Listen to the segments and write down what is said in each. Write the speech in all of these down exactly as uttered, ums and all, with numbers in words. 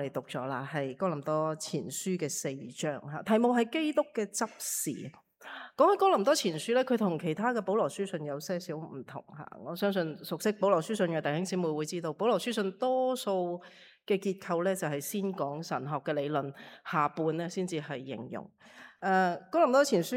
哋讀咗啦，係哥林多前書嘅四章嚇，題目係基督嘅執事。講起哥林多前書咧，佢同其他嘅保羅書信有些少唔同嚇。我相信熟悉保羅書信嘅弟兄姊妹會知道，保羅書信多數嘅結構咧就係先講神學嘅理論，下半咧先至係形容。誒、呃，哥林多前書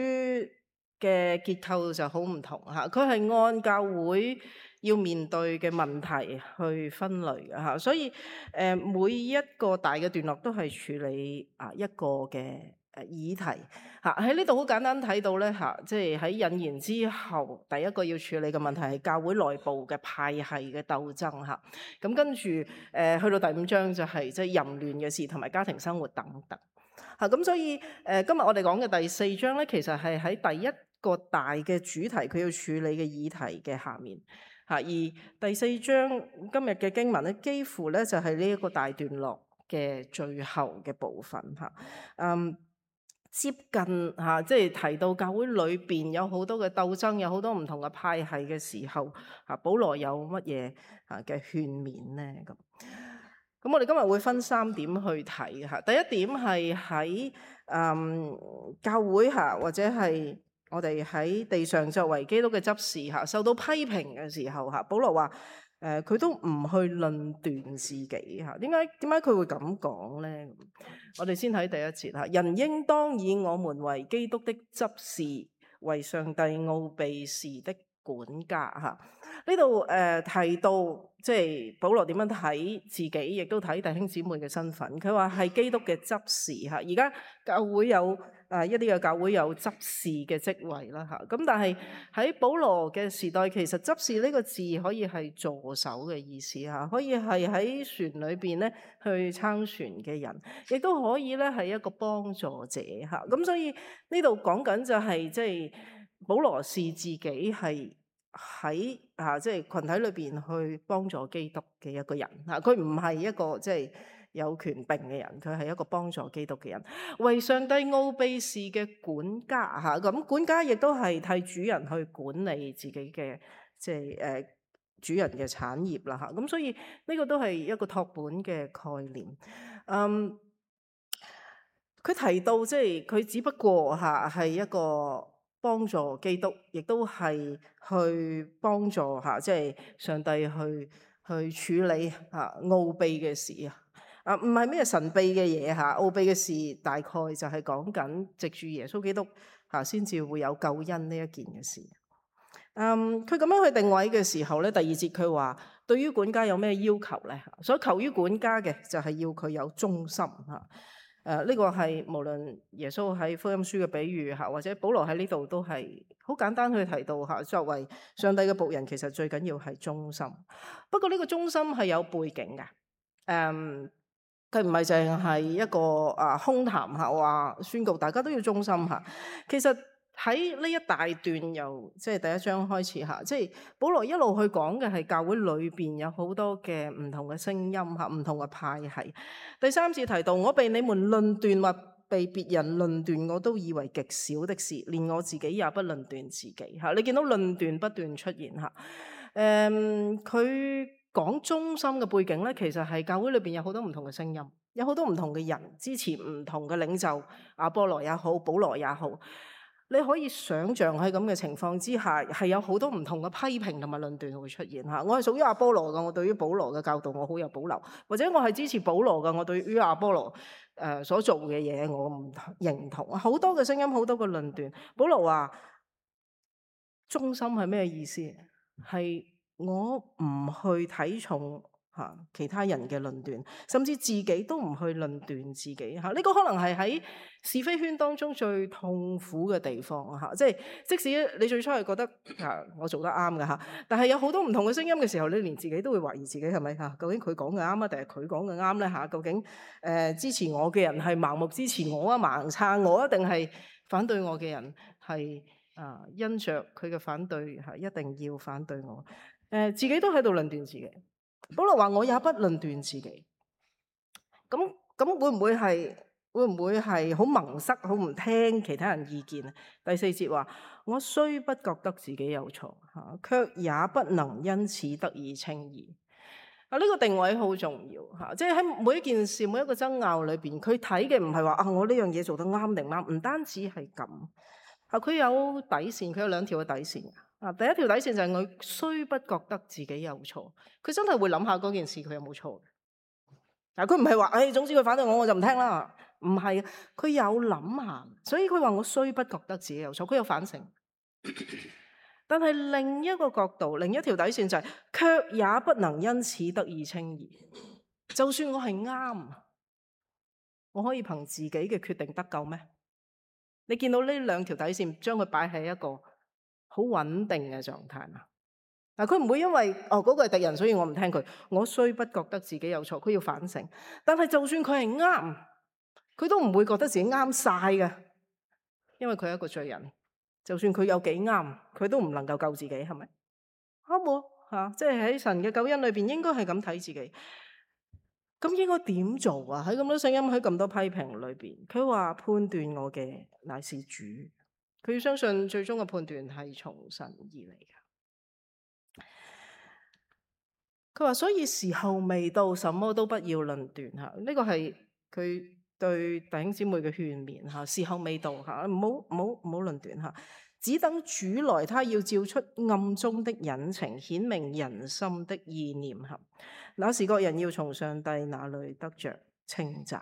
嘅結構就好唔同嚇，佢係按教會要面對嘅問題去分類嘅嚇，所以誒每一個大嘅段落都係處理啊一個嘅誒議題嚇。喺呢度好簡單睇到咧嚇，即係喺引言之後，第一個要處理嘅問題係教會內部嘅派系嘅鬥爭嚇。咁跟住誒去到第五章就係即係淫亂嘅事同埋家庭生活等等嚇。咁所以誒今日我哋講嘅第四章咧，其實係喺第一個大嘅主題佢要處理嘅議題嘅下面。而第四章今日嘅經文咧，幾乎咧就係呢一個大段落嘅最後嘅部分嚇。嗯，接近嚇，即係提到教會裏邊有好多嘅鬥爭，有好多唔同嘅派系嘅時候，嚇保羅有乜嘢嚇嘅勸勉咧？咁咁我哋今日會分三點去睇嚇。第一點係喺嗯教會嚇，或者係我哋喺地上作為基督嘅執事嚇，受到批評嘅時候嚇，保羅話誒佢都唔去論斷自己嚇。點解點解佢會咁講咧？我哋先睇第一節嚇，人應當以我們為基督的執事，為上帝奧秘事的管家嚇。呢度誒提到即係保羅點樣睇自己，亦都睇弟兄姊妹嘅身份。佢話係基督嘅執事嚇。而家教會有誒一啲嘅教會有執事嘅職位啦嚇。咁但係喺保羅嘅時代，其實執事呢個字可以係助手嘅意思嚇，可以係喺船裏邊咧去撐船嘅人，亦都可以咧係一個幫助者嚇。咁所以呢度講緊就係即係保羅視自己係喺啊，即係群體裏邊去幫助基督嘅一個人嚇，佢唔係一個即係有權柄嘅人，佢係一個幫助基督嘅人，為上帝奧秘事嘅管家嚇。咁管家亦都係替主人去管理自己嘅即係誒主人嘅產業啦嚇。咁所以呢個都係一個託本嘅概念。嗯，佢提到即係佢只不過嚇係一個幫助基督，亦都係去幫助嚇，即係上帝去去處理嚇奧秘嘅事啊！啊，唔係咩神秘嘅嘢嚇，奧秘嘅事大概就係講緊藉住耶穌基督嚇先至會有救恩呢一件嘅事。嗯，佢咁樣去定位嘅時候咧，第二節佢話對於管家有咩要求咧？所求於管家嘅就係要佢有忠心嚇。誒、呃、呢、這個係無論耶穌喺福音書嘅比喻嚇，或者保羅喺呢度都係好簡單去提到嚇。作為上帝嘅僕人，其實最緊要係忠心。不過呢個忠心係有背景嘅。誒佢唔係淨係一個啊空談嚇，話宣告大家都要忠心嚇。其實喺呢一大段由即係第一章開始嚇，即係保羅一路去講嘅係教會裏邊有好多嘅唔同嘅聲音嚇，唔同嘅派系。第三節提到我被你們論斷或被別人論斷，我都以為極小的事，連我自己也不論斷自己嚇。你見到論斷不斷出現嚇。誒，佢講忠心嘅背景咧，其實係教會裏邊有好多唔同嘅聲音，有好多唔同嘅人支持唔同嘅領袖，阿波羅也好，保羅也好。你可以想像喺咁嘅情況之下，係有好多唔同嘅批評同埋論斷會出現嚇。我係屬於阿波羅嘅，我對於保羅嘅教導我好有保留；或者我係支持保羅嘅，我對於阿波羅誒所做嘅嘢我唔認同。好多嘅聲音，好多嘅論斷。保羅話忠心係咩意思？係我唔去睇重嚇其他人嘅論斷，甚至自己都唔去論斷自己嚇。呢個可能係喺是非圈當中最痛苦嘅地方嚇。即係即使你最初係覺得嚇我做得啱嘅嚇，但係有好多唔同嘅聲音嘅時候，你連自己都會懷疑自己係咪嚇？究竟佢講嘅啱啊，定係佢講嘅啱咧嚇？究竟誒支持我嘅人係盲目支持我啊，盲撐我啊，定係反對我嘅人係啊因着佢嘅反對嚇一定要反對我？誒自己都喺度論斷自己。保羅話：我也不論斷自己。咁咁會唔會係會唔會係好矇塞、好唔聽其他人意見啊？第四節話：我雖不覺得自己有錯嚇，卻也不能因此得以稱義。啊！呢個定位好重要嚇，即係喺每一件事、每一個爭拗裏邊，佢睇嘅唔係話啊，我呢樣嘢做得啱定唔啱，唔單止係咁啊，佢有底線，佢有兩條嘅底線啊。第一條底線就係我雖不覺得自己有錯，佢真係會諗下嗰件事佢有冇錯嘅。嗱，佢唔係話誒，總之佢反對我我就唔聽啦，唔係，佢有諗下，所以佢話我雖不覺得自己有錯，佢有反省。但係另一個角度，另一條底線就係、是，卻也不能因此得以稱義。就算我係啱，我可以憑自己嘅決定得救咩？你見到呢兩條底線，將佢擺喺一個好穩定嘅狀態嘛？嗱，佢唔會因為哦嗰個係敵人，所以我唔聽佢。我雖不覺得自己有錯，佢要反省。但係就算佢係啱，佢都唔會覺得自己啱晒嘅，因為佢係一個罪人。就算佢有幾啱，佢都唔能夠救自己，係咪？啱喎嚇，即係喺神嘅救恩裏邊，應該係咁睇自己。咁應該點做啊？喺咁多聲音，喺咁多批評裏邊，佢話判斷我嘅乃是主，佢要相信最終嘅判斷係從神而嚟嘅。佢話所以時候未到，什麼都不要論斷嚇。呢個係佢對弟兄姊妹嘅勸勉嚇。時候未到嚇，唔好唔好唔好論斷嚇。只等主來，他要照出暗中的隱情，顯明人心的意念合。那時各人要從上帝那裏得着稱讚。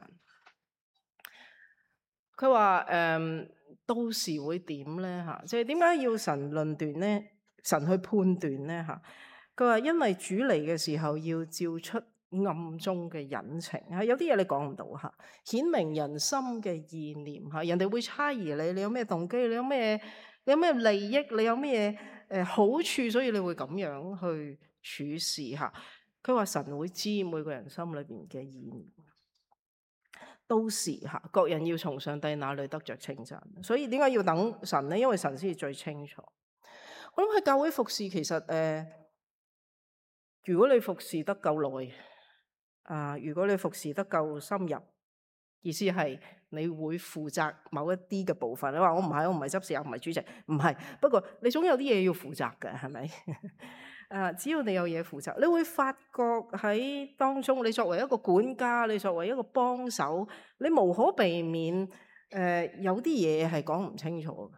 佢話誒，到時會點咧嚇？即係點解要神論斷咧？神去判斷咧嚇？佢話因為主嚟嘅時候要照出暗中嘅隱情嚇，有啲嘢你講唔到嚇，顯明人心嘅意念嚇。人哋會猜疑你，你有咩動機？你有咩？你有咩利益？你有咩誒好處？所以你會咁樣去處事嚇。佢話神會知每個人心裏邊嘅意念。到時嚇，各人要從上帝那裏得着稱讚。所以點解要等神咧？因為神先至最清楚。我諗喺教會服侍，其實誒、呃，如果你服侍得夠耐，啊、呃，如果你服侍得夠深入，意思係你會負責某一啲嘅部分。你話我唔係，我唔係執事，我唔係主席，唔係。不過你總有啲嘢要負責嘅，係咪？啊，只要你有嘢負責，你會發覺喺當中，你作為一個管家，你作為一個幫手，你無可避免誒、呃，有啲嘢係講唔清楚嘅。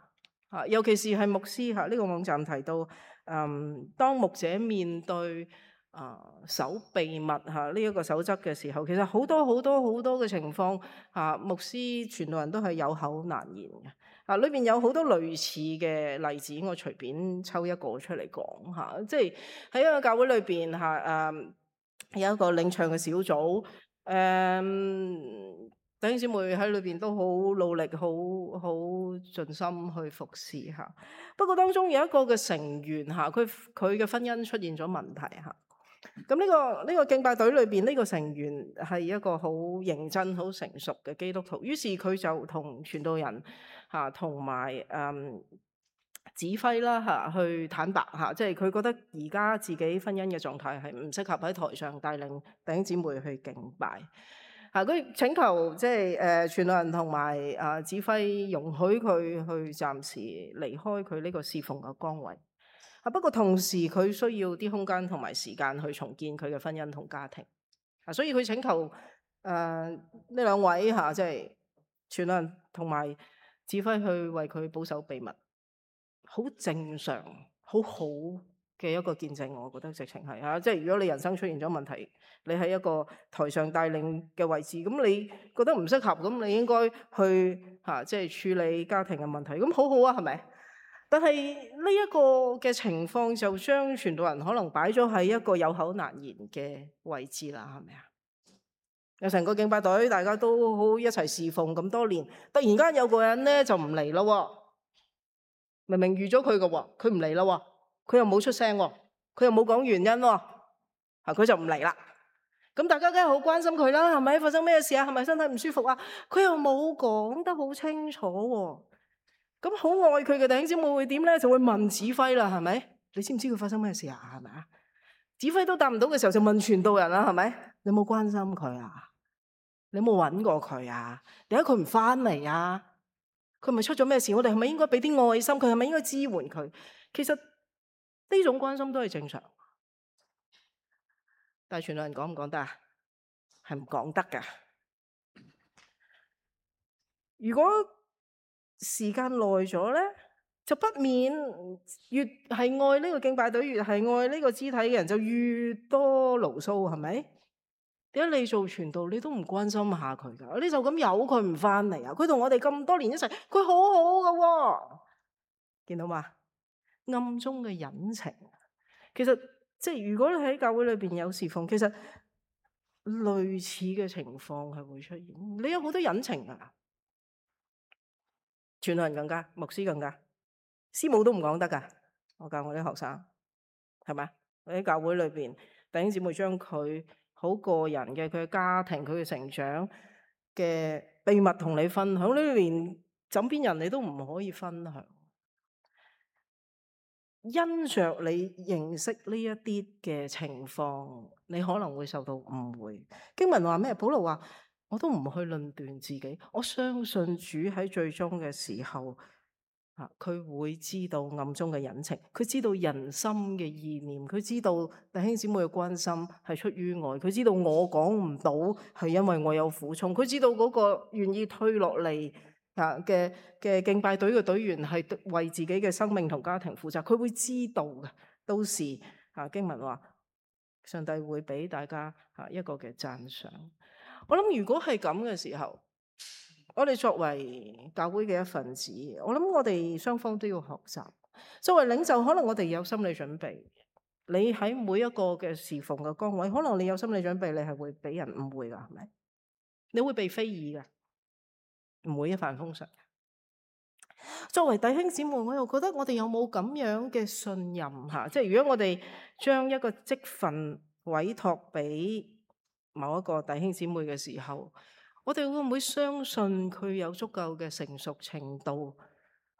啊，尤其是係牧師嚇，呢、這個網站提到，嗯，當牧者面對啊守秘密嚇呢一個守則嘅時候，其實好多好多好多嘅情況嚇、啊，牧師傳道人都係有口難言嘅。啊，裏邊有好多類似嘅例子，我隨便抽一個出嚟講嚇。即係喺一個教會裏邊嚇，誒有一個領唱嘅小組，誒弟兄姊妹喺裏邊都好努力，好好盡心去服侍嚇。不過當中有一個嘅成員嚇，佢佢嘅婚姻出現咗問題嚇。咁呢個呢個敬拜隊裏邊呢個成員係一個好認真、好成熟嘅基督徒，於是佢就同傳道人嚇同埋誒指揮啦嚇去坦白嚇，即係佢覺得而家自己婚姻嘅狀態係唔適合喺台上帶領弟兄姊妹去敬拜嚇。佢請求即係誒傳道人同埋啊指揮容許佢去暫時離開佢呢個侍奉嘅崗位。啊！不過同時佢需要啲空間同埋時間去重建佢嘅婚姻同家庭。啊，所以佢請求誒呢、呃、兩位嚇，即係傳道人同埋指揮去為佢保守秘密，好正常、好好嘅一個見證。我覺得直情係嚇，即係如果你人生出現咗問題，你喺一個台上帶領嘅位置，咁你覺得唔適合，咁你應該去嚇、啊，即係處理家庭嘅問題，咁好好啊，係咪？但係呢一個嘅情況就將傳道人可能擺咗喺一個有口難言嘅位置啦，係咪啊？有成個敬拜隊，大家都好一齊侍奉咁多年，突然間有個人咧就唔嚟咯，明明預咗佢嘅喎，佢唔嚟咯，佢又冇出聲，佢又冇講原因，嚇佢就唔嚟啦。咁大家梗係好關心佢啦，係咪發生咩事啊？係咪身體唔舒服啊？佢又冇講得好清楚喎。咁好愛佢嘅弟兄姊妹會點咧？就會問指揮啦，係咪？你知唔知佢發生咩事啊？係咪啊？指揮都答唔到嘅時候，就問傳道人啦，係咪？你有冇關心佢啊？你有冇揾過佢啊？點解佢唔翻嚟啊？佢咪出咗咩事？我哋係咪應該俾啲愛心佢？係咪應該支援佢？其實呢種關心都係正常。但係傳道人講唔講得啊？係唔講得㗎。如果時間耐咗咧，就不免越係愛呢個敬拜隊，越係愛呢個肢體嘅人，就越多牢騷，係咪？點解你做傳道，你都唔關心下佢㗎？你就咁由佢唔返嚟啊？佢同我哋咁多年一齊，佢好好㗎喎，見到嘛？暗中嘅隱情，其實即係如果你喺教會裏邊有侍奉，其實類似嘅情況係會出現。你有好多隱情㗎，傳道人更加，牧師更加，師母都唔講得㗎。我教我啲學生係咪？喺教會裏邊，弟兄姊妹將佢好個人嘅佢嘅家庭、佢嘅成長嘅秘密同你分享，你連枕邊人你都唔可以分享。因着你認識呢一啲嘅情況，你可能會受到誤會。經文話咩？保羅話：我都唔去論斷自己，我相信主喺最終嘅時候，啊，佢會知道暗中嘅隱情，佢知道人心嘅意念，佢知道弟兄姊妹嘅關心係出於愛，佢知道我講唔到係因為我有苦衷，佢知道嗰個願意退落嚟嘅嘅敬拜隊嘅隊員係為自己嘅生命同家庭負責，佢會知道嘅。到時啊，經文話上帝會俾大家啊一個嘅讚賞。我諗如果係咁嘅時候，我哋作為教會嘅一份子，我諗我哋雙方都要學習。作為領袖，可能我哋有心理準備。你喺每一個嘅侍奉嘅崗位，可能你有心理準備，你係會俾人誤會噶，係咪？你會被非議噶。唔會一帆風順。作為弟兄姊妹，我又覺得我哋有冇咁樣嘅信任吓？即係如果我哋將一個職份委託俾某一個弟兄姊妹嘅時候，我哋會唔會相信佢有足夠嘅成熟程度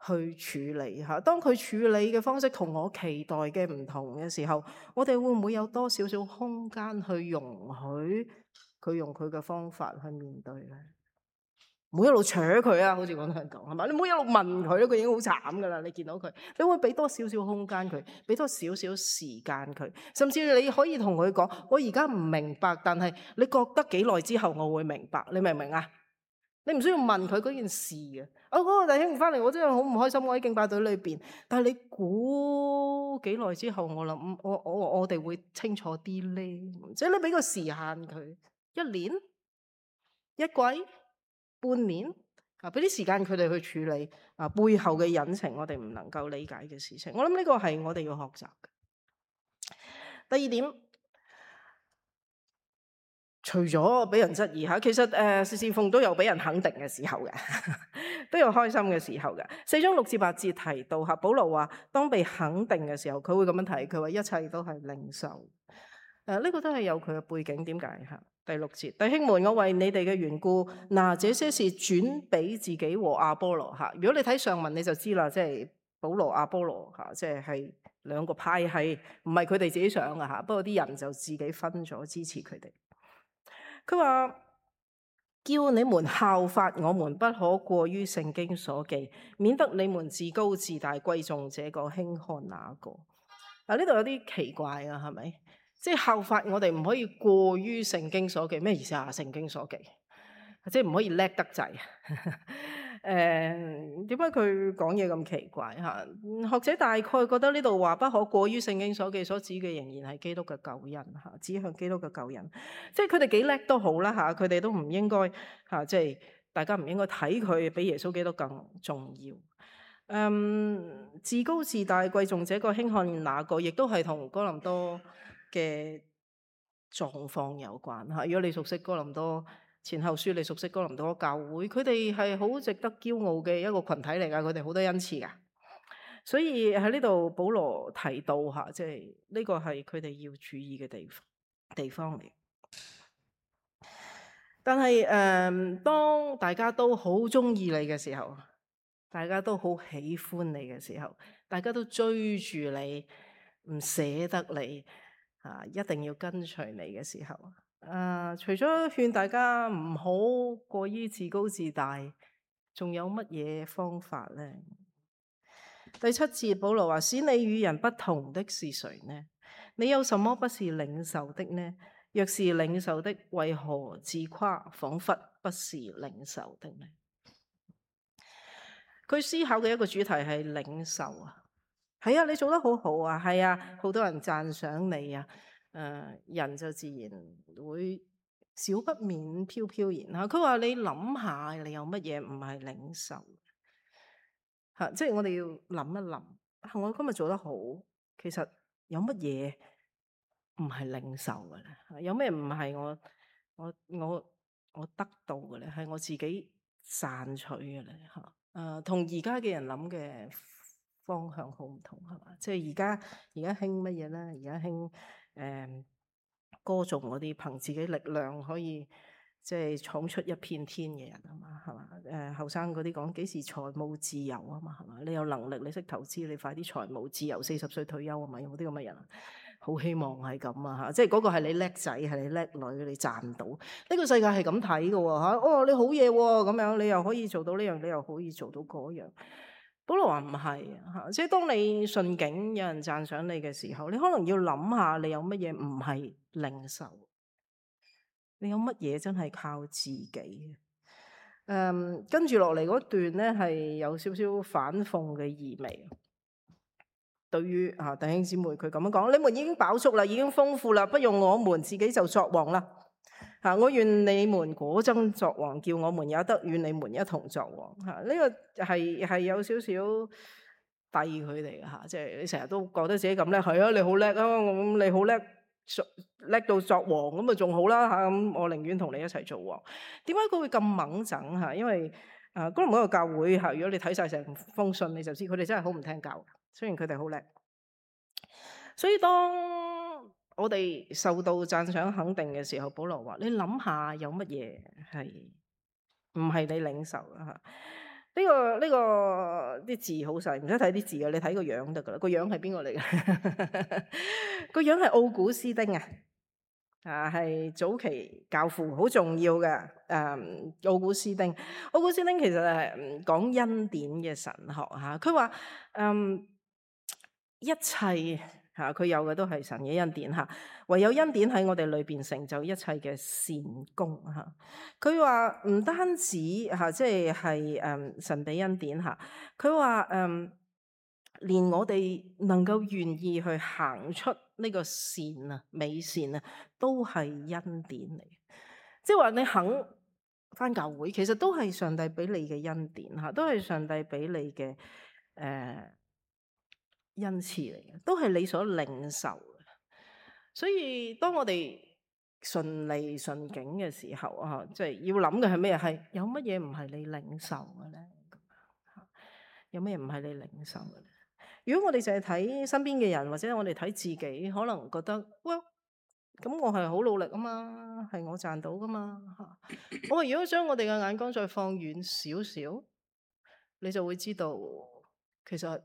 去處理吓？當佢處理嘅方式同我期待嘅唔同嘅時候，我哋會唔會有多少少空間去容許佢用佢嘅方法去面對咧？唔好一路扯佢啊，好似廣東人講係嘛？你唔好一路問佢咯，佢已經好慘噶啦。你見到佢，你會俾多少少空間佢，俾多少少時間佢，甚至你可以同佢講：我而家唔明白，但係你覺得幾耐之後我會明白？你明唔明啊？你唔需要問佢嗰件事嘅。啊，嗰個弟兄翻嚟，我真係好唔開心。我喺敬拜隊裏邊，但係你估幾耐之後，我諗我我我哋會清楚啲咧。即係你俾個時限佢，一年、一季。半年啊，俾啲時間佢哋去處理啊，背後嘅隱情，我哋唔能夠理解嘅事情。我諗呢個係我哋要學習嘅。第二點，除咗俾人質疑吓，其實誒，侍侍奉都有俾人肯定嘅時候嘅，都有開心嘅時候嘅。四章六至八節提到吓，保羅話當被肯定嘅時候，佢會咁樣提，佢話一切都係領受。誒、呃，呢、這個都係有佢嘅背景，點解吓？第六節，弟兄們，我為你哋嘅緣故，嗱，這些事轉俾自己和亞波羅吓。如果你睇上文，你就知啦，即係保羅、亞波羅吓，即係係兩個派系，唔係佢哋自己想嘅吓。不過啲人就自己分咗支持佢哋。佢話叫你們效法我們，不可過於聖經所記，免得你們自高自大，貴重這個輕看那個。嗱，呢度有啲奇怪啊，係咪？即係效法我哋唔可以過於聖經所記，咩意思啊？聖經所記，即係唔可以叻得滯。誒、呃，點解佢講嘢咁奇怪吓？學者大概覺得呢度話不可過於聖經所記，所指嘅仍然係基督嘅救恩吓，指向基督嘅救恩。即係佢哋幾叻都好啦吓，佢哋都唔應該吓，即係大家唔應該睇佢比耶穌基督更重要。嗯，自高自大，貴重這個輕看那個，亦都係同哥林多嘅狀況有關吓。如果你熟悉哥林多前後書，你熟悉哥林多教會，佢哋係好值得驕傲嘅一個群體嚟噶，佢哋好多恩賜噶。所以喺呢度保羅提到吓，即係呢個係佢哋要注意嘅地方地方嚟。但係誒、呃，當大家都好中意你嘅時候，大家都好喜歡你嘅時候，大家都追住你，唔捨得你啊，一定要跟隨你嘅時候，啊，除咗勸大家唔好過於自高自大，仲有乜嘢方法呢？第七節保羅話：使你與人不同的是誰呢？你有什麼不是領受的呢？若是領受的，為何自誇，彷彿不是領受的呢？佢思考嘅一個主題係領受啊，係啊，你做得好好啊，係啊，好多人讚賞你啊，誒、呃，人就自然會少不免飄飄然嚇。佢話你諗下，你有乜嘢唔係領受嚇？即係我哋要諗一諗，我今日做得好，其實有乜嘢唔係領受嘅咧？有咩唔係我我我我得到嘅咧？係我自己賺取嘅咧嚇？誒，同而家嘅人諗嘅方向好唔同係嘛？即係而家而家興乜嘢咧？而家興誒歌頌嗰啲憑自己力量可以即係闖出一片天嘅人啊嘛，係嘛？誒後生嗰啲講幾時財務自由啊嘛，係嘛？你有能力，你識投資，你快啲財務自由，四十歲退休啊嘛？有冇啲咁嘅人啊？好希望係咁啊嚇！即係嗰個係你叻仔，係你叻女，你賺到呢個世界係咁睇嘅喎嚇。哦，你好嘢喎，咁樣你又可以做到呢樣，你又可以做到嗰樣。保羅話唔係嚇，即係當你順境有人讚賞你嘅時候，你可能要諗下你有乜嘢唔係領受，你有乜嘢真係靠自己嘅。誒，跟住落嚟嗰段咧係有少少反諷嘅意味。對於啊弟兄姊妹，佢咁樣講：你們已經飽足啦，已經豐富啦，不用我們自己就作王啦。嚇、啊！我願你們果真作王，叫我們也得與你們一同作王。嚇、啊！呢、這個係係有少少遞佢哋嘅嚇，即係你成日都覺得自己咁叻，係啊，你好叻啊，咁你好叻，叻到作王咁啊，仲好啦嚇。咁我寧願同你一齊做王。點解佢會咁猛整嚇？因為啊，哥林多個教會嚇，如果你睇晒成封信，你就知佢哋真係好唔聽教。雖然佢哋好叻，所以當我哋受到讚賞肯定嘅時候，保羅話：你諗下有乜嘢係唔係你領受啊？嚇、這個！呢、這個呢個啲字好細，唔使睇啲字嘅，你睇個樣得噶啦。個樣係邊個嚟嘅？個樣係奧古斯丁啊！啊，係早期教父，好重要嘅。誒、嗯，奧古斯丁，奧古斯丁其實係講恩典嘅神學嚇。佢話嗯。一切嚇佢有嘅都係神嘅恩典嚇，唯有恩典喺我哋裏邊成就一切嘅善功嚇。佢話唔單止嚇，即係係誒神俾恩典嚇。佢話誒，連我哋能夠願意去行出呢個善啊美善啊，都係恩典嚟。即係話你肯返教會，其實都係上帝俾你嘅恩典嚇，都係上帝俾你嘅誒。呃恩賜嚟嘅，都係你所領受嘅。所以當我哋順利順境嘅時候啊，即係要諗嘅係咩？係有乜嘢唔係你領受嘅咧？有咩唔係你領受嘅咧？如果我哋淨係睇身邊嘅人，或者我哋睇自己，可能覺得喂，咁我係好努力啊嘛，係我賺到噶嘛。我話如果將我哋嘅眼光再放遠少少，你就會知道其實。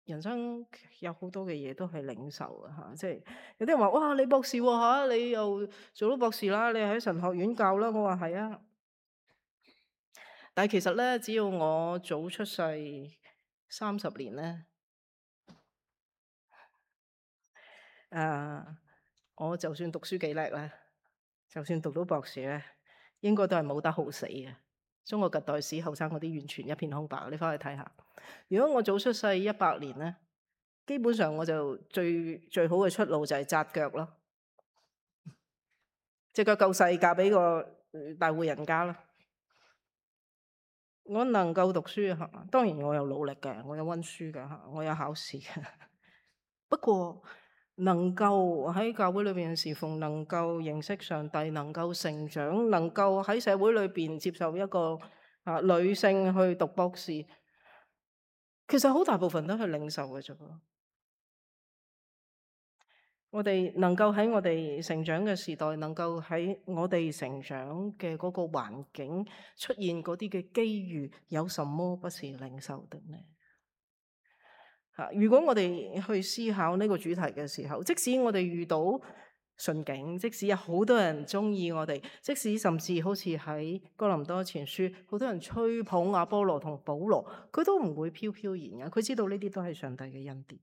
人生有好多嘅嘢都係領受嘅嚇，即係有啲人話：哇，你博士喎嚇，你又做到博士啦，你喺神學院教啦。我話係啊，但係其實咧，只要我早出世三十年咧，誒、啊，我就算讀書幾叻咧，就算讀到博士咧，應該都係冇得好死嘅。中國近代史後生嗰啲完全一片空白，你翻去睇下。如果我早出世一百年咧，基本上我就最最好嘅出路就係紮腳咯，隻腳夠細嫁俾個大戶人家咯。我能夠讀書嚇，當然我有努力嘅，我有溫書嘅嚇，我有考試嘅。不過能夠喺教會裏邊侍奉，能夠認識上帝，能夠成長，能夠喺社會裏邊接受一個啊女性去讀博士，其實好大部分都係領受嘅啫。我哋能夠喺我哋成長嘅時代，能夠喺我哋成長嘅嗰個環境出現嗰啲嘅機遇，有什麼不是領受的呢？吓，如果我哋去思考呢個主題嘅時候，即使我哋遇到順境，即使有好多人中意我哋，即使甚至好似喺哥林多前書，好多人吹捧阿波羅同保羅，佢都唔會飄飄然嘅，佢知道呢啲都係上帝嘅恩典。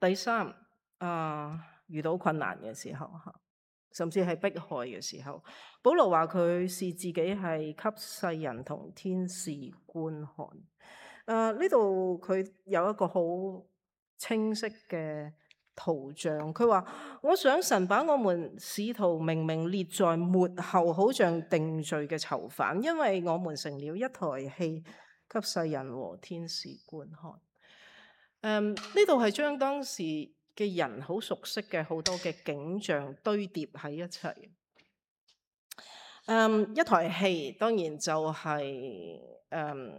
第三啊，遇到困難嘅時候嚇，甚至係迫害嘅時候，保羅話佢視自己係給世人同天使觀看。誒呢度佢有一個好清晰嘅圖像，佢話：我想神把我們使徒明明列在末後，好像定罪嘅囚犯，因為我們成了一台戲，給世人和天使觀看。誒呢度係將當時嘅人好熟悉嘅好多嘅景象堆疊喺一齊。誒一台戲當然就係誒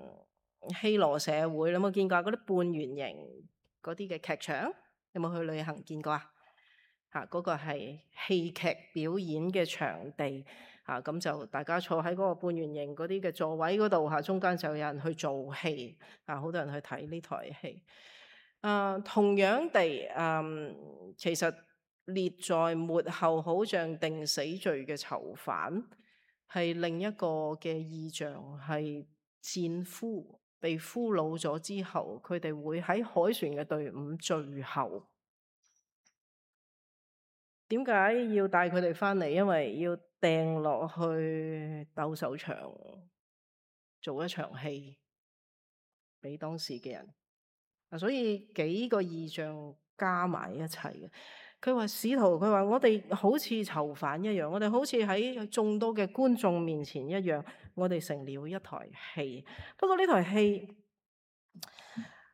希羅社會，你有冇見過嗰啲半圓形嗰啲嘅劇場？有冇去旅行見過啊？嚇，嗰個係戲劇表演嘅場地嚇，咁就大家坐喺嗰個半圓形嗰啲嘅座位嗰度嚇，中間就有人去做戲嚇，好多人去睇呢台戲。啊，同樣地，嗯，其實列在末後，好像定死罪嘅囚犯，係另一個嘅意象，係戰俘被俘虜咗之後，佢哋會喺凱旋嘅隊伍最後。點解要帶佢哋翻嚟？因為要掟落去鬥獸場做一場戲俾當時嘅人。所以幾個異象加埋一齊嘅。佢話使徒，佢話我哋好似囚犯一樣，我哋好似喺眾多嘅觀眾面前一樣，我哋成了一台戲。不過呢台戲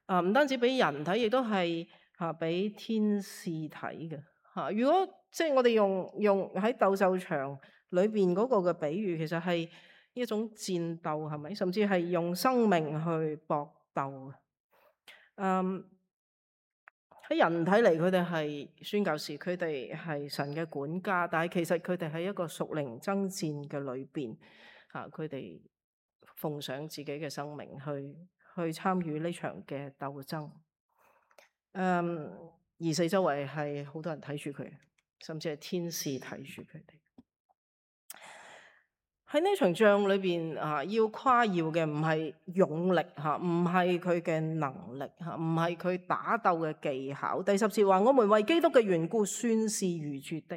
啊，唔單止俾人睇，亦都係嚇俾天使睇嘅嚇。如果即係我哋用用喺鬥獸場裏邊嗰個嘅比喻，其實係一種戰鬥，係咪？甚至係用生命去搏鬥。嗯，喺人睇嚟，佢哋係宣教士，佢哋係神嘅管家，但係其實佢哋喺一個屬靈爭戰嘅裏邊，嚇佢哋奉上自己嘅生命去去參與呢場嘅鬥爭。嗯，而四周圍係好多人睇住佢，甚至係天使睇住佢哋。喺呢場仗裏邊啊，要誇耀嘅唔係勇力嚇，唔係佢嘅能力嚇，唔係佢打鬥嘅技巧。第十節話：我們為基督嘅緣故算是愚拙的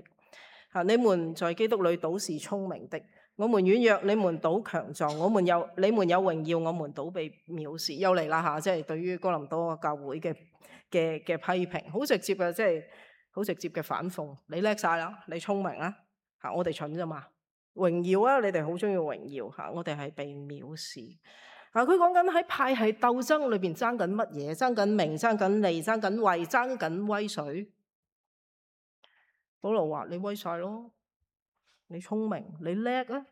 嚇，你們在基督裏倒是聰明的。我們軟弱，你們倒強壯；我們有你們有榮耀，我們倒被藐視。又嚟啦嚇，即係對於哥林多教會嘅嘅嘅批評，好直接嘅，即係好直接嘅反諷。你叻晒啦，你聰明啦嚇，我哋蠢啫嘛。榮耀啊！你哋好中意榮耀嚇，我哋係被藐視。啊，佢講緊喺派系鬥爭裏邊爭緊乜嘢？爭緊名，爭緊利，爭緊位，爭緊威水。保羅話：你威晒咯，你聰明，你叻啊！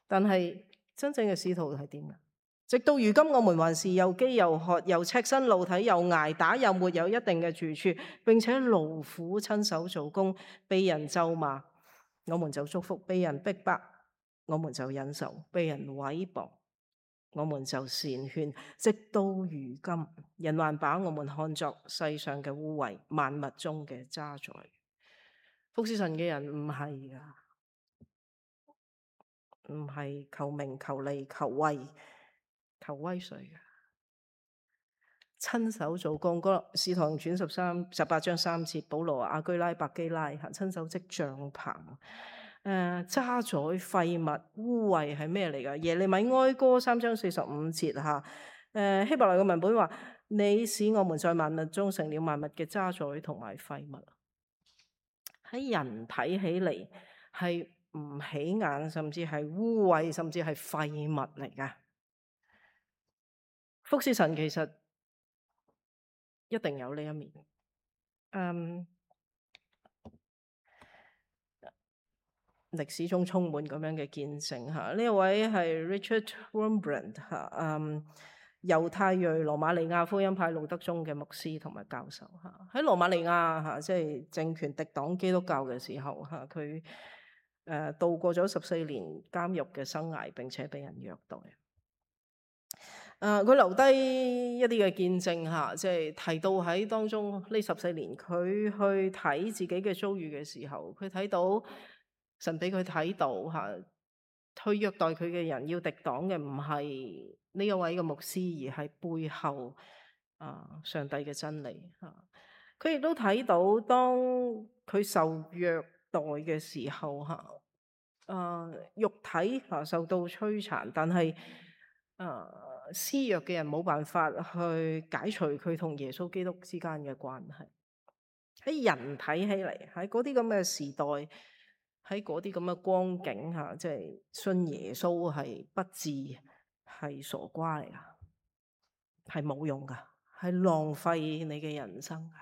但係真正嘅使徒係點啊？直到如今，我們還是又飢又渴，又赤身露體，又捱打，又沒有一定嘅住處，並且勞苦親手做工，被人咒罵，我們就祝福；被人逼迫，我們就忍受；被人毀謗，我們就善勸。直到如今，人還把我們看作世上嘅污穢，萬物中嘅渣滓。服侍神嘅人唔係噶，唔係求名、求利、求位、求威水嘅，親手做工。嗰《使徒行傳》十三十八章三節，保羅、亞居拉、百基拉嚇親手織帳棚。誒、呃、渣滓廢物污穢係咩嚟㗎？耶利米哀歌三章四十五節嚇。誒、呃、希伯來嘅文本話：你使我們在萬物中成了萬物嘅渣滓同埋廢物。喺人睇起嚟係唔起眼，甚至係污穢，甚至係廢物嚟㗎。服侍神其實一定有呢一面。嗯，歷史中充滿咁樣嘅見證嚇。呢一位係 Richard Wurmbrand 嚇，嗯，猶太裔羅馬尼亞福音派路德宗嘅牧師同埋教授嚇。喺羅馬尼亞嚇，即係政權敵擋基督教嘅時候嚇，佢誒度過咗十四年監獄嘅生涯，並且被人虐待。誒，佢、呃、留低一啲嘅見證嚇，即係提到喺當中呢十四年，佢去睇自己嘅遭遇嘅時候，佢睇到神俾佢睇到嚇，去虐待佢嘅人要敵擋嘅唔係呢一位嘅牧師，而係背後啊、呃、上帝嘅真理嚇。佢亦都睇到當佢受虐待嘅時候，嚇、呃，肉體嚇受到摧殘，但係誒施虐嘅人冇辦法去解除佢同耶穌基督之間嘅關係。喺人睇起嚟，喺嗰啲咁嘅時代，喺嗰啲咁嘅光景下，即係信耶穌係不智，係傻瓜嚟噶，係冇用噶，係浪費你嘅人生噶。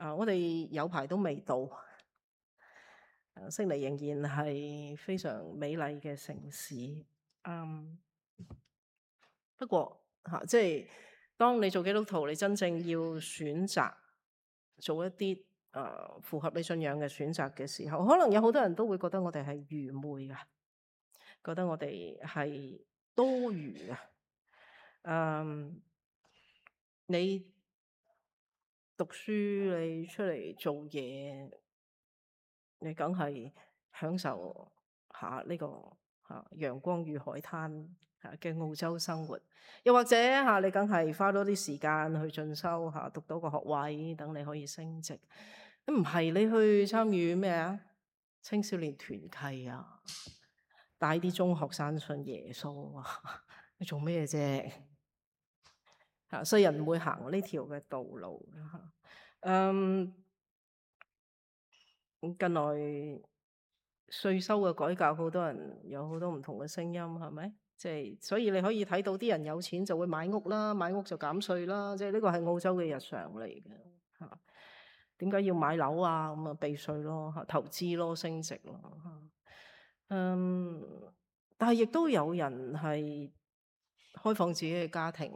啊，我哋有排都未到，啊，悉尼仍然係非常美麗嘅城市。嗯，不過吓，啊，即係當你做基督徒，你真正要選擇做一啲誒、呃、符合你信仰嘅選擇嘅時候，可能有好多人都會覺得我哋係愚昧嘅，覺得我哋係多餘嘅。嗯，你讀書，你出嚟做嘢，你梗係享受下呢個吓陽光與海灘吓嘅澳洲生活，又或者吓你梗係花多啲時間去進修吓，讀到個學位，等你可以升職。唔係你去參與咩啊？青少年團契啊，帶啲中學生信耶穌啊，你做咩啫？吓，所以人唔會行呢條嘅道路吓。嗯，近來稅收嘅改革，好多人有好多唔同嘅聲音，係咪？即係所以你可以睇到啲人有錢就會買屋啦，買屋就減稅啦，即係呢個係澳洲嘅日常嚟嘅吓。點解要買樓啊？咁啊避稅咯，吓投資咯，升值咯吓。嗯，但係亦都有人係開放自己嘅家庭，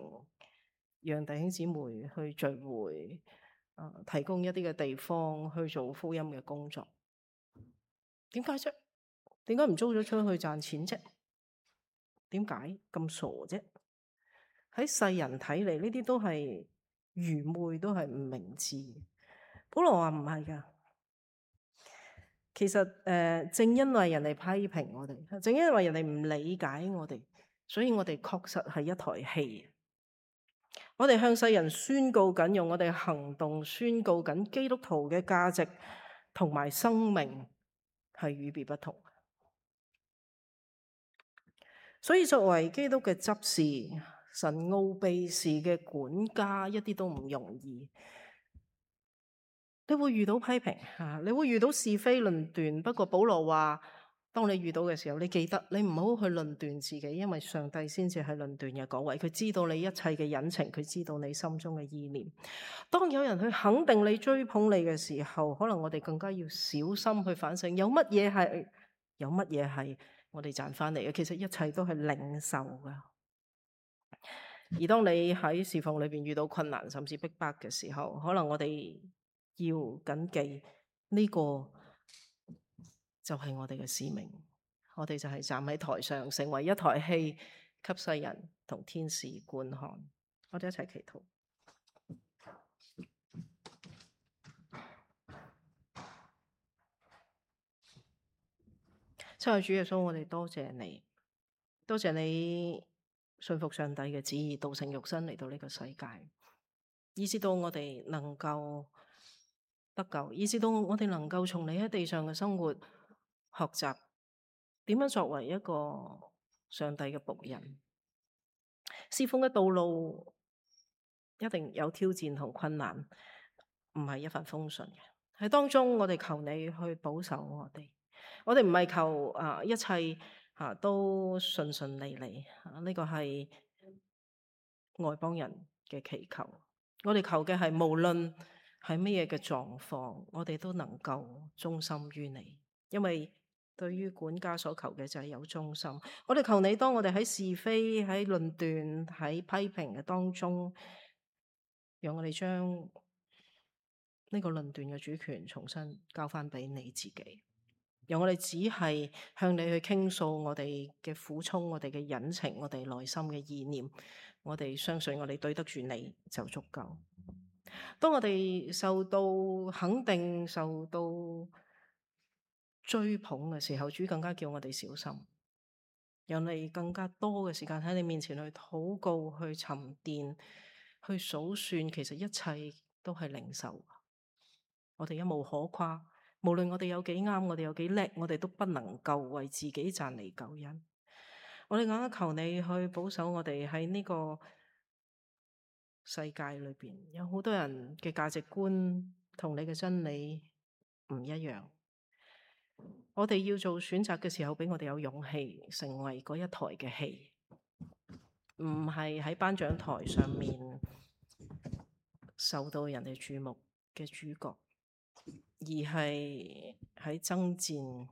讓弟兄姊妹去聚會，啊，提供一啲嘅地方去做福音嘅工作。點解啫？點解唔租咗出去賺錢啫？點解咁傻啫？喺世人睇嚟，呢啲都係愚昧，都係唔明智。保羅話唔係噶，其實誒、呃，正因為人哋批評我哋，正因為人哋唔理解我哋，所以我哋確實係一台戲。我哋向世人宣告緊，用我哋行動宣告緊基督徒嘅價值同埋生命係與別不同。所以作為基督嘅執事，神奧秘事嘅管家，一啲都唔容易。你會遇到批評吓，你會遇到是非論斷。不過保羅話，當你遇到嘅時候，你記得你唔好去論斷自己，因為上帝先至係論斷嘅嗰位，佢知道你一切嘅隱情，佢知道你心中嘅意念。當有人去肯定你、追捧你嘅時候，可能我哋更加要小心去反省，有乜嘢係有乜嘢係我哋賺翻嚟嘅？其實一切都係領受噶。而當你喺侍奉裏邊遇到困難甚至逼迫嘅時候，可能我哋要謹記呢個就係我哋嘅使命。我哋就係站喺台上，成為一台戲，給世人同天使觀看。我哋一齊祈禱。親愛主耶穌，我哋多謝你，多謝你信服上帝嘅旨意，道成肉身嚟到呢個世界，以至到我哋能夠得救，以至到我哋能夠從你喺地上嘅生活學習點樣作為一個上帝嘅僕人。侍奉嘅道路一定有挑戰同困難，唔係一帆風順嘅。喺當中，我哋求你去保守我哋。我哋唔係求啊一切啊都順順利利，呢、這個係外邦人嘅祈求。我哋求嘅係無論係乜嘢嘅狀況，我哋都能夠忠心於你。因為對於管家所求嘅就係有忠心。我哋求你，當我哋喺是非、喺論斷、喺批評嘅當中，讓我哋將呢個論斷嘅主權重新交翻俾你自己。讓我哋只係向你去傾訴我哋嘅苦衷、我哋嘅隱情、我哋內心嘅意念。我哋相信我哋對得住你就足夠。當我哋受到肯定、受到追捧嘅時候，主更加叫我哋小心，讓你更加多嘅時間喺你面前去禱告、去沉澱、去數算，其實一切都係領受。我哋一無可誇，無論我哋有幾啱，我哋有幾叻，我哋都不能夠為自己賺嚟救恩。我哋更加求你去保守我哋喺呢個世界裏邊，有好多人嘅價值觀同你嘅真理唔一樣。我哋要做選擇嘅時候，俾我哋有勇氣成為嗰一台嘅戲，唔係喺頒獎台上面受到人哋注目嘅主角，而係喺爭戰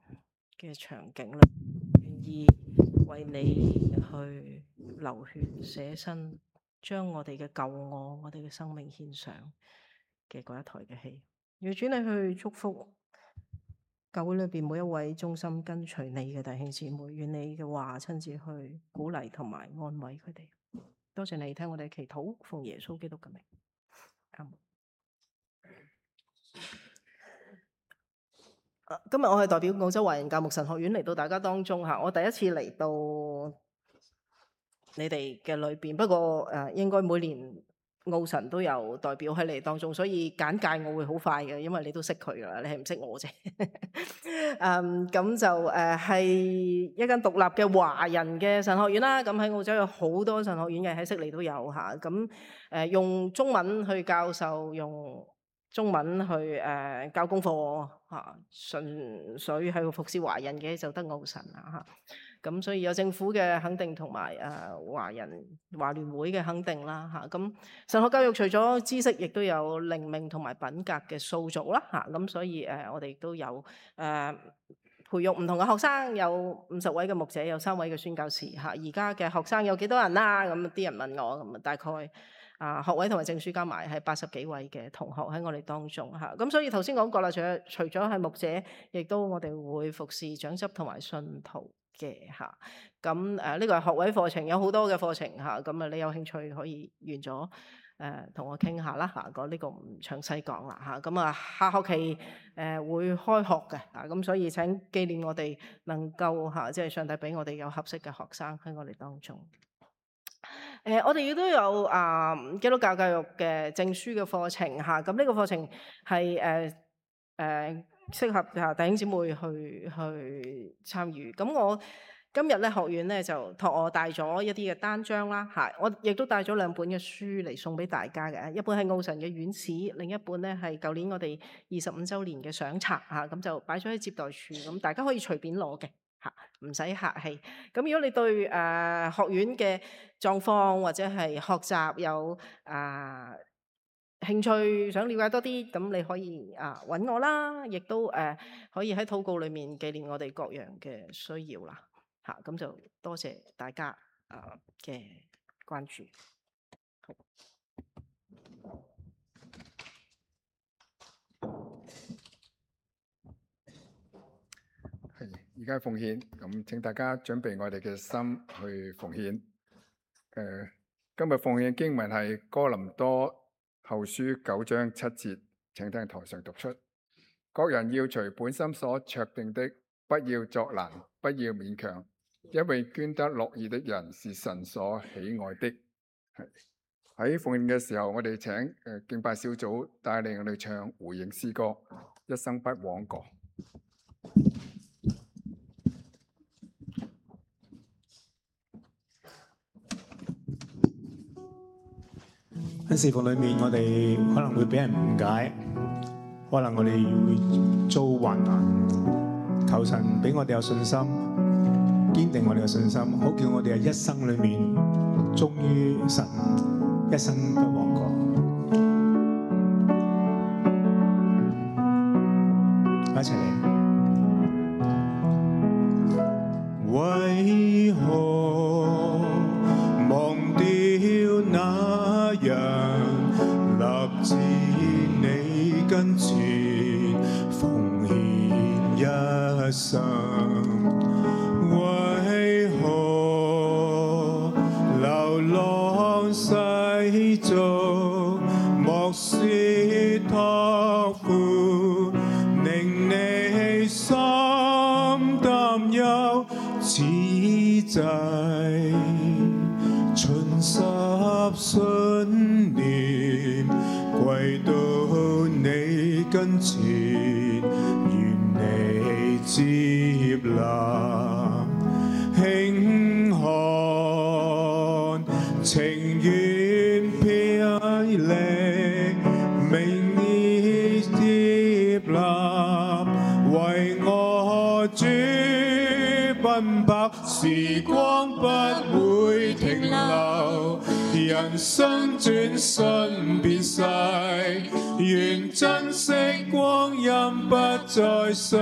嘅場景裏願意為你去流血捨身，將我哋嘅舊我、我哋嘅生命獻上嘅嗰一台嘅戲。願主你去祝福教會裏邊每一位忠心跟隨你嘅弟兄姊妹，願你嘅話親自去鼓勵同埋安慰佢哋。多謝你聽我哋祈禱，奉耶穌基督嘅名。阿門。今日我係代表澳洲華人教牧神學院嚟到大家當中嚇，我第一次嚟到你哋嘅裏邊，不過誒應該每年澳神都有代表喺你當中，所以簡介我會好快嘅，因為你都識佢噶啦，你係唔識我啫。嗯，咁就誒係一間獨立嘅華人嘅神學院啦。咁喺澳洲有好多神學院嘅，喺悉尼都有嚇。咁誒用中文去教授，用中文去誒、呃、教功課嚇，純粹係服侍華人嘅就得澳神啦嚇。咁所以有政府嘅肯定同埋誒華人華聯會嘅肯定啦嚇。咁神學教育除咗知識，亦都有靈命同埋品格嘅塑造啦嚇。咁所以誒我哋亦都有誒、呃、培育唔同嘅學生，有五十位嘅牧者，有三位嘅宣教士嚇。而家嘅學生有幾多人啦？咁啲人問我，咁大概啊學位同埋證書加埋係八十幾位嘅同學喺我哋當中嚇。咁所以頭先講過啦，除咗除咗係牧者，亦都我哋會服侍長執同埋信徒嘅嚇。咁誒呢個係學位課程，有好多嘅課程嚇。咁啊你有興趣可以完咗誒同我傾下啦嚇。講呢個唔詳細講啦嚇。咁啊下學期誒、呃、會開學嘅嚇。咁所以請紀念我哋能夠嚇，即係上帝俾我哋有合適嘅學生喺我哋當中。誒、呃，我哋亦都有啊、呃、基督教教育嘅證書嘅課程嚇。咁呢個課程係誒誒適合啊弟兄姊妹去去參與。咁我今日咧學院咧就託我帶咗一啲嘅單張啦嚇，我亦都帶咗兩本嘅書嚟送俾大家嘅。一本係澳神嘅院史，另一本咧係舊年我哋二十五週年嘅相冊嚇，咁就擺咗喺接待處，咁大家可以隨便攞嘅。唔使客氣。咁如果你對誒、呃、學院嘅狀況或者係學習有誒、呃、興趣，想了解多啲，咁你可以啊揾、呃、我啦，亦都誒、呃、可以喺禱告裏面紀念我哋各樣嘅需要啦。嚇、啊，咁就多謝大家啊嘅、呃、關注。好。係，而家奉獻，咁請大家準備我哋嘅心去奉獻。誒、呃，今日奉獻經文係哥林多後書九章七節，請聽台上讀出。各人要隨本心所酌定的，不要作難，不要勉強，因為捐得樂意的人是神所喜愛的。係喺奉獻嘅時候，我哋請誒、呃、敬拜小組帶領我哋唱回應詩歌，一生不枉過。喺侍奉裏面，我哋可能會俾人誤解，可能我哋會遭患難。求神俾我哋有信心，堅定我哋嘅信心，好叫我哋喺一生裏面忠於神，一生不枉過。一齊嚟。為何忘掉那樣立志你跟前奉獻一生？為何流浪世俗，莫說託付，令你心擔憂，此際盡十信念歸到前，願你接納，輕看，情願霹靂，明你接納，為我主奔跑，時光不會停留，人生轉瞬便逝，願珍惜光陰，不再歲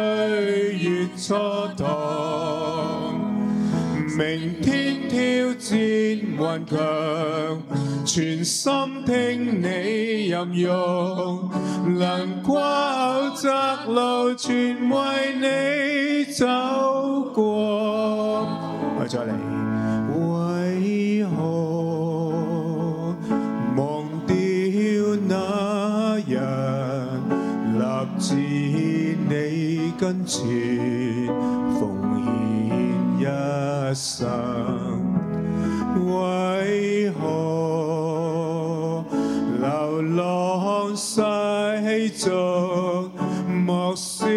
月蹉跎。明天挑戰頑強，全心聽你任用，能跨口窄路，全為你走過。我再嚟，為何忘掉那人，立志你跟前，奉獻一生？為何流浪世俗，莫說